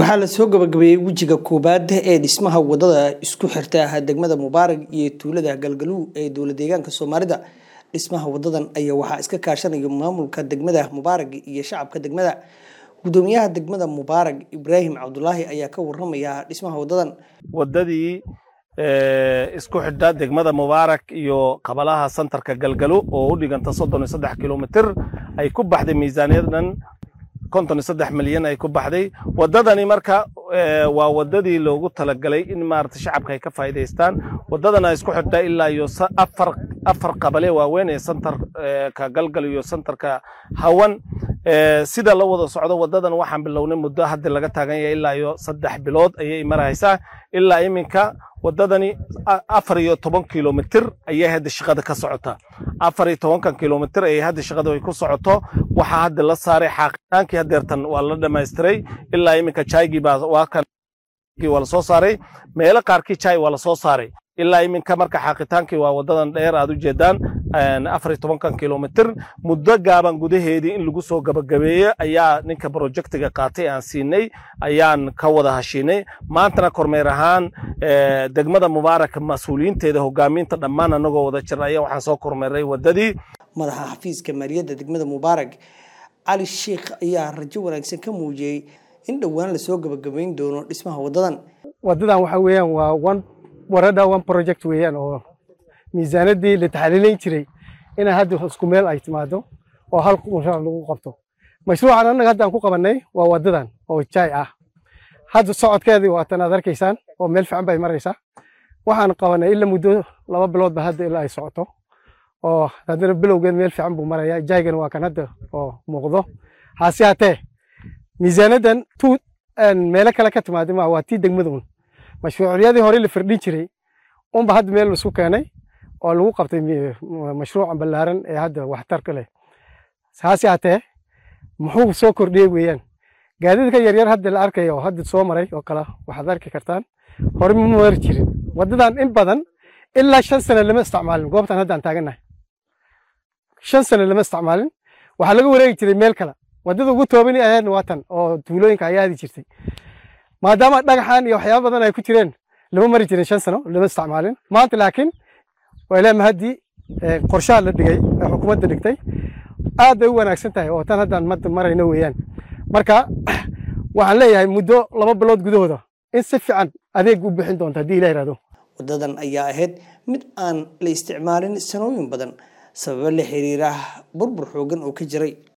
Waxaa la soo gabagabeeyey wejiga koowaad ee dhismaha wadada isku xirta degmada Mubaarak iyo tuulada Galgaluw ee dowlad deegaanka Soomaalida. Dhismaha wadadan ayaa waxaa iska kaashanaya maamulka degmada Mubaarak iyo shacabka degmada. Gudoomiyaha degmada Mubaarak Ibraahim Cabdulaahi ayaa ka waramaya dhismaha wadadan. Wadadii isku xidha degmada Mubaarak iyo qabalaha santarka Galgalo oo u dhiganta 33 kilomitir ay ku baxday miisaaniyad dhan 53 milyan ay ku baxday wadadani. Marka waa wadadii loogu talagalay in maarata shacabka ay ka faa'iidaystaan. Wadadana isku xidha ilaa iyo afar qabale waaweyn ee santarka Galgal iyo santarka Hawan. Sida la wada socdo, wadadan waxaan bilownay muddo hadda laga taagan yahay ilaa iyo 3 bilood ayay maraysaa. Ilaa iminka wadadani 14 kilomitir ayay hadda shaqada ka socota. 14-kan kilomitir ayay hadda shaqada ay ku socoto. Waxaa hadda la saaray xaaqitaankii, hadeertan waa la dhamaystiray. Ilaa iminka jaygii baa waa kan waa la soo saaray, meelo qaarkii jay waa la soo saaray ilaa iminka. Marka xaaqitaankii waa wadadan dheer aad u jeedaan, 14-kan kilomitir muddo gaaban gudaheedii in lagu soo gabagabeeyo ayaa ninka projectiga qaatay aan siinay, ayaan ka wada hashiinay. Maantana kormeer ahaan degmada Mubaarak mas-uuliyiinteeda, hogaamiinta dhammaan anagoo wada jir ayaa waxaan soo kormeeray wadadii. Madaxa xafiiska maaliyadda degmada Mubaarak Cali Sheikh ayaa rajo wanaagsan ka muujiyey in dhowaan lasoo gabagabayn doono dhismaha wadadan. Wadadan waxa weeyaan waa one woreda one project weeyaan, oo miisaanadii la taxliilayn jiray inay hadda isku meel ay timaado oo hal mashruuc lagu qabto. Mashruucan annaga hadda aan ku qabannay waa wadadan oo jaay ah. Hadda socodkeedii waa tan aad arkaysaan oo meel fiican bay maraysaa. Waxaan qabanay ilaa muddo 2 bilood ba hadda ilaa ay socoto, oo haddana bilowgeed meel fiican buu marayaa. Jaygana waa kan hadda oo muuqdo. Hase hatee miisaanaddan tu meelo kale ka timaada ma waa tii degmada un. Mashruucyadii hore la firdhin jiray unba hadda meel laisku keenay oo lagu qabtay mashruucan ballaaran ee hadda waxtarka leh. Hase hatee muxuu soo kordhiyey weeyaan gaadiidka yaryar hadda la arkaya oo hadda soo maray oo kale waxaad arki kartaan hore ma mari jirin wadadan. In badan ilaa 5 sano lama isticmaalin goobtan hadda aan taagannahay, 5 sano lama isticmaalin. Waxaa laga wareegi jiray meel kale. Wadada ugu toobani ahaydna waa tan oo tuulooyinka ayaa aadi jirtay, maadaama dhagaxan iyo waxyaaba badan ay ku jireen lama mari jirin, 5 sano lama isticmaalin. Maanta laakiin waa ilaa mahadii qorshaha la dhigay ee xukuumadda dhigtay aad bay u wanaagsan tahay oo tan haddaan madda marayno weeyaan. Marka waxaan leeyahay muddo 2 bilood gudahooda in si fiican adeeg u bixin doonto haddii Ilah yidhahdo. Wadadan ayaa ahayd mid aan la isticmaalin sanooyin badan sababo la xiriira burbur xoogan oo ka jiray.